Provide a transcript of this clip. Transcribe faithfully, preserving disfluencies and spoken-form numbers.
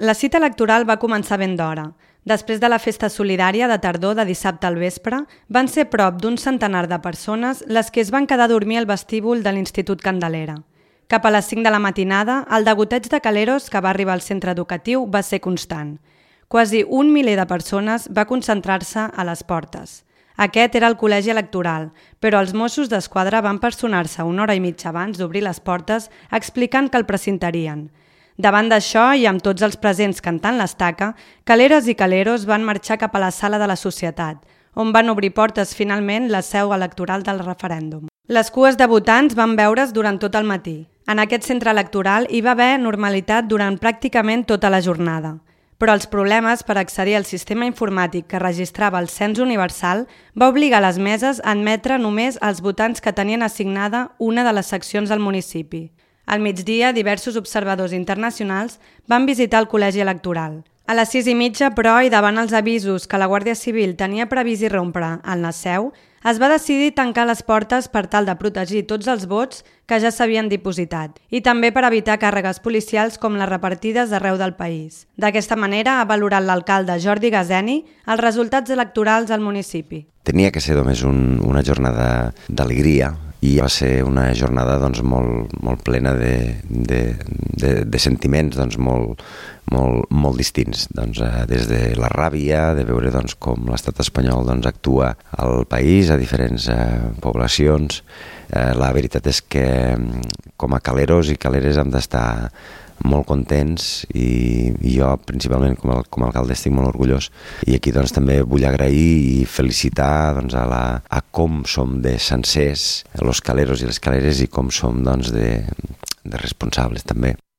La cita electoral va començar ben d'hora. Després de la festa solidària de tardor de dissabte al vespre, van ser prop d'un centenar de persones les que es van quedar a dormir al vestíbul de l'Institut Candelera. Cap a les cinc de la matinada, el degoteig de caleros que va arribar al centre educatiu va ser constant. Quasi un miler de persones va concentrar-se a les portes. Aquest era el col·legi electoral, però els Mossos d'Esquadra van personar-se una hora i mitja abans d'obrir les portes explicant que el precintarien. Davant d'això i amb tots els presents cantant l'estaca, caleres i caleros van marxar cap a la sala de la Societat, on van obrir portes finalment la seu electoral del referèndum. Les cues de votants van veure's durant tot el matí. En aquest centre electoral hi va haver normalitat durant pràcticament tota la jornada. Però els problemes per accedir al sistema informàtic que registrava el cens universal va obligar les meses a admetre només els votants que tenien assignada una de les seccions del municipi. Al migdia, diversos observadors internacionals van visitar el col·legi electoral. A les sis i mitja, però, i davant els avisos que la Guàrdia Civil tenia previst irrompre en la seu, es va decidir tancar les portes per tal de protegir tots els vots que ja s'havien dipositat i també per evitar càrregues policials com les repartides arreu del país. D'aquesta manera ha valorat l'alcalde Jordi Gazeni els resultats electorals al municipi. Tenia que ser només un, una jornada d'alegria i va ser una jornada doncs, molt, molt plena de, de, de, de sentiments doncs, molt, molt, molt distints. Doncs, eh, des de la ràbia, de veure doncs, com l'estat espanyol doncs, actua al país, a diferents eh, poblacions. Eh, la veritat és que com a caleros i caleres hem d'estar molt contents i, i jo principalment com a, com a alcalde estic molt orgullós i aquí doncs també vull agrair i felicitar doncs, a, la, a com som de sencers els caleros i les caleres i com som doncs, de, de responsables també.